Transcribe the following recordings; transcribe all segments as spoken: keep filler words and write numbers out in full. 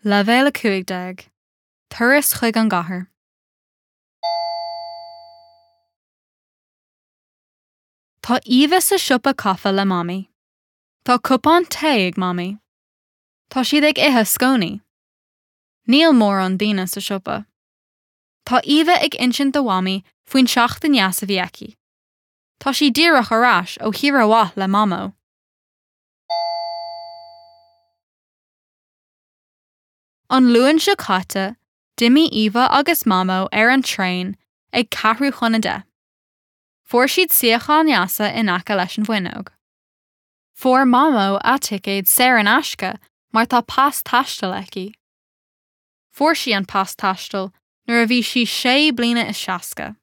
Leibhéal a cúig déag. Turas chuig an gcathair. Tá Eva sa siopa caife le Mamaí. Tá cupán tae ag Mamaí. Tá siad ag ithe scónaí. Níl mórán daoine sa siopa. Tá Eva ag insint do Mhamaí faoin seachtain dheas a bhí aici. Tá sí díreach ar ais ó shaoire mhaith le Mamó. An Luan seo caite, d'imigh Eva agus Mamó ar an traein ag ceathrú chun a deich. Fuair siad suíocháin dheasa in aice leis an bhfuinneog. Fuair Mamó a ticéad saor in aisce mar tá pas taistil aici. Fuair sí an pas taistil nuair a bhí sí sé bliana is seasca.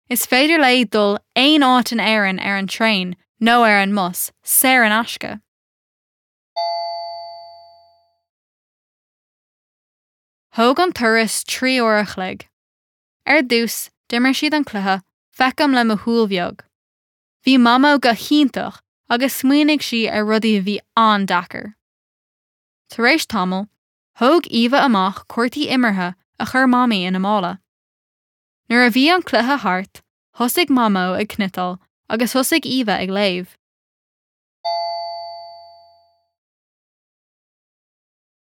Is féidir léi dul aon áit in Éirinn ar an traein nó ar an mbus saor in aisce. Thóg an turas trí uair a chloig. Ar dtús, d'imir siad an cluiche Feicim le mo shúil bheag. Bhí Mamó go hiontach agus smaoinigh sí ar rudaí a bhí an-deacair. Tar éis tamaill, thóg Eva amach cártaí imeartha a chuir Mamaí ina mála. Nuair a bhí an cluiche thart, thosaigh Mamó ag cniotáil agus thosaigh Eva ag léamh.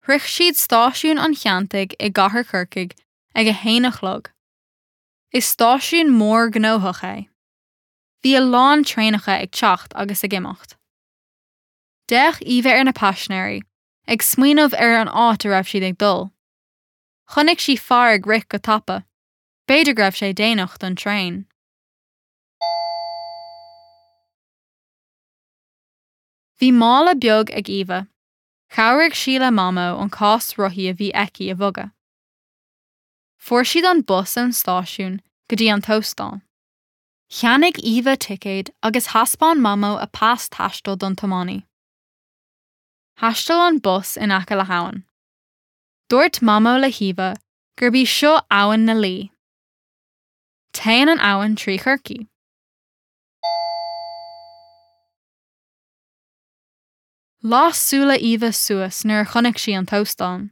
Shroich siad Stáisiún an Cheantaigh i gCathair Chorcaí ag a haon a chlog. Is stáisiún mór gnóthach é. Bhí a lán traenacha ag teacht agus ag imeacht. D'fhéach Eva ar na paisinéirí, ag smaoineamh ar an áit a raibh siad ag dul. Chonaic sí fear ag rith go tapa. B'fhéidir go raibh sé déanach don traein. Bhí mála beag ag Eva. Chabhraigh sí le Mamó an cás rothaí a bhí aici a bhogadh. Fuair siad an bus ón stáisiún go dtí an t-óstán. Cheannaigh Eva ticéad agus thaispeáin Mamó a pas taistil don tiománaí. Thaistil an bus in aice le habhainn. Dúirt Mamó le hEva gurb í seo Abhainn na Laoi. Téann an abhainn trí Chorcaigh. Las súile Eva suas nuair a chonaic sí an t-óstán.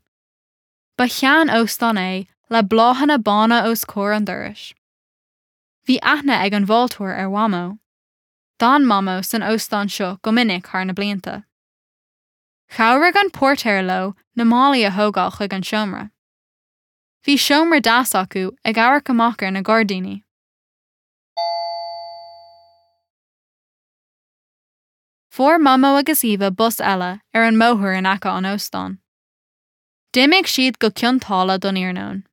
Ba shean-óstán é le bláthanna bána os comhair an dorais. Bhí aithne ag an bhfáilteoir ar Mhamó. D'fhan Mamó san óstán seo go minic thar na blianta. Chabhraigh an póirtéir leo na málaí a thógáil chuig an seomra. Bhí seomra deas acu ag amharc amach ar na gairdíní. Fuair Mamó agus Eva bus eile ar an mbóthar in aice an óstáin. D'imigh siad go Cionn tSáile don iarnóin.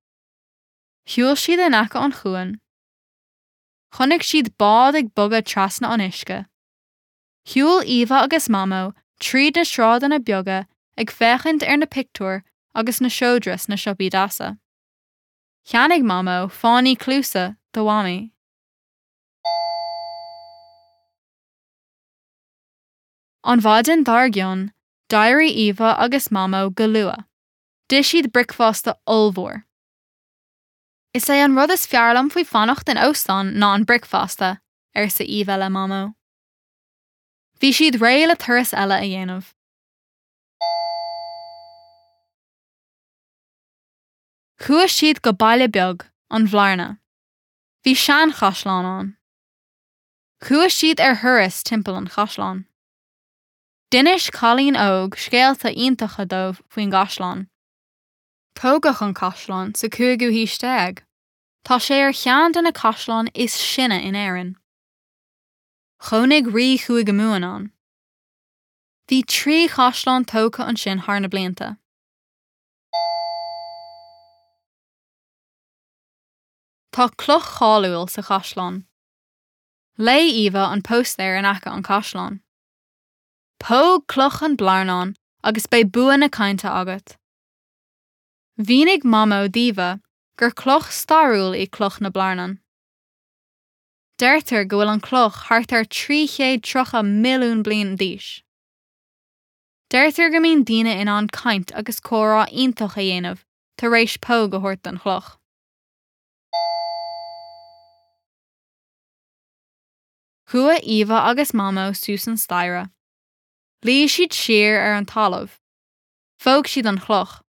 Shiúil siad in aice an chuain. Chonaic siad bád ag bogadh trasna an uisce. Shiúil Eva agus Mamó tríd na sráideanna beaga ag féachaint ar na pictiúir agus na seodra sna siopaí deasa. Cheannaigh Mamó fáinní cluasa do Mhamaí. An mhaidin dár gcionn, d'éirigh Eva agus Mamó go luath. D'ith siad bricfeasta ollmhór. Is é an rud is fearr liom faoi fanacht in óstán ná an bricfeasta, arsa Eva le Mamó. Bhí siad réidh le turas eile a dhéanamh. Chuaigh siad go baile beag, an Bhlarna. Bhí seanchaisleán ann. Chuaigh siad ar thuras timpeall an chaisleáin. D'inis cailín óg scéalta iontacha dóibh faoin gcaisleán. Tógadh an caisleán sa cúigiú haois déag. Tá sé ar cheann de na caisleáin is sine in Éirinn. Chónaigh rí Chúige Mumhan ann. Bhí trí chaisleán tógtha ansin thar na blianta. Tá cloch cháiliúil sa chaisleán. Léigh Eva an póstaer in aice an chaisleáin. Póg cloch an Bhlarnáin agus beidh bua na cainte agat. Mhínigh Mamó d'Eva gur cloch stairiúil í cloch na Blarnan. Deirtear go bhfuil an cloch thart ar trí chéad tríocha milliún bliain d'aois. Deirtear go mbíonn daoine in ann caint agus comhrá iontach a dhéanamh tar éis póg a thabhairt don chloch. Chuaigh Eva agus Mamó suas an staighre. Luigh siad siar ar an talamh. Phóg siad an chloch.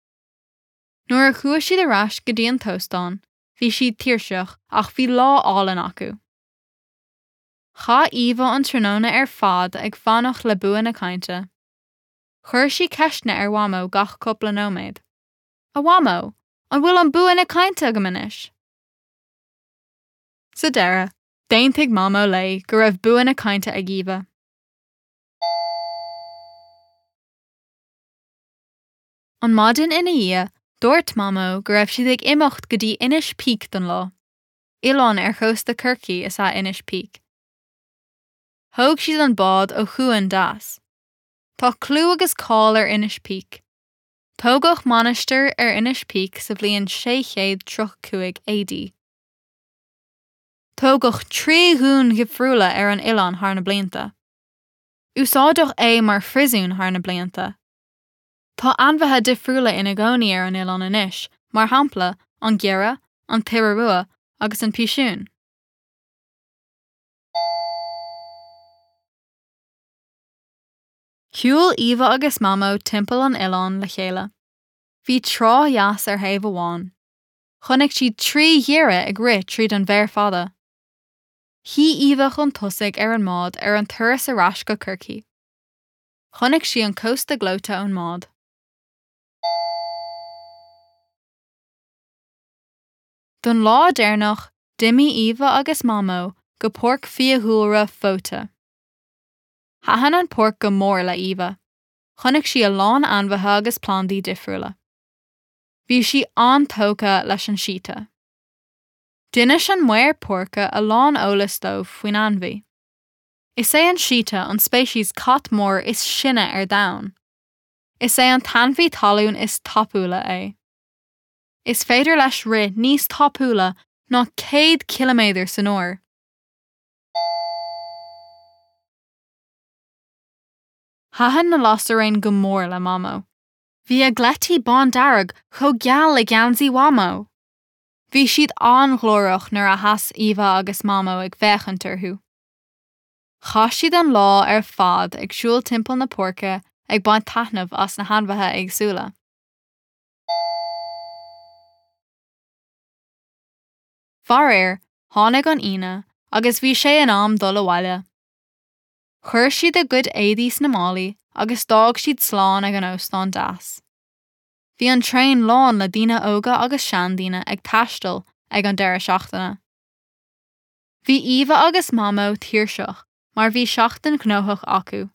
Nuair a chuaigh siad ar ais go dtí an t-óstán, bhí siad tuirseach ach bhí lá álainn acu. Chaith Eva an tráthnóna ar fad ag fanacht le bua na cainte. Chuir sí ceisteanna ar Mhamó gach cúpla nóiméad. A Mhamó, an bhfuil an bua na cainte agam anois? Sa deireadh, d'aontaigh Mamó léi go raibh bua na cainte ag Eva. An maidin ina dhiaidh, dúirt Mamó go raibh siad ag imeacht go dtí Inis Píc don lá. Oileán ar chósta Chorcaí is ea Inis Píc. Thóg siad an bád ó Chuan Deas. Tá clú agus cáil ar Inis Píc. Tógadh mainistir ar Inis Píc sa bhliain sé chéad tríocha cúig AD. Tógadh trí dhún dhifriúla ar an oileán thar na blianta. Úsáideadh é mar phríosún thar na blianta. Tá ainmhithe difriúla ina gcónaí ar an oileán anois, mar shampla, an giorria, an t-iora rua agus an pisiún. Shiúil Eva agus Mamó timpeall an oileáin le chéile. Bhí trá dheas ar thaobh amháin. Chonaic siad trí ghiorria ag rith tríd an bhféar fada. Shuigh Eva chun tosaigh ar an mbád ar an turas ar ais go Corcaigh. Chonaic sí an cósta gleoite ón mbád. Don lá deireanach, d'imigh Eva agus Mamó go Páirc Fiadhúlra Fóta. Thaitin an pháirc go mór le Eva. Chonaic sí a lán ainmhithe agus plandaí difriúla. Bhí sí an-tógtha leis an síta. D'inis an maor páirce a lán eolais dóibh faoin ainmhí. Is é an síta an speiceas cat mór is sine ar domhan. Is é an t-ainmhí talún is tapúla é. Is féidir leis rith níos tapúla ná céad ciliméadar san uair. Thaitin na lasairéin go mór le Mamó. Bhí a gcleití bándearg chomh geal le geansaí Mhamó. Bhí siad an-ghlórach nuair a sheas Eva agus Mamó ag féachaint orthu. Chaith siad an lá ar fad ag siúl timpeall na páirce ag baint taitneamh as na hainmhithe éagsúla. Faraor, tháinig an Aoine agus bhí sé in am dul abhaile. Chuir siad a gcuid éadaí sna málaí agus d'fhág siad slán ag an óstán deas. Bhí an traein lán le daoine óga agus seandaoine ag taisteal ag an deireadh seachtaine. Bhí Eva agus Mamó tuirseach mar bhí seachtain ghnóthach acu.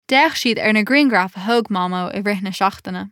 D'fhéach siad ar na grianghraif a thóg Mamó i rith na seachtaine.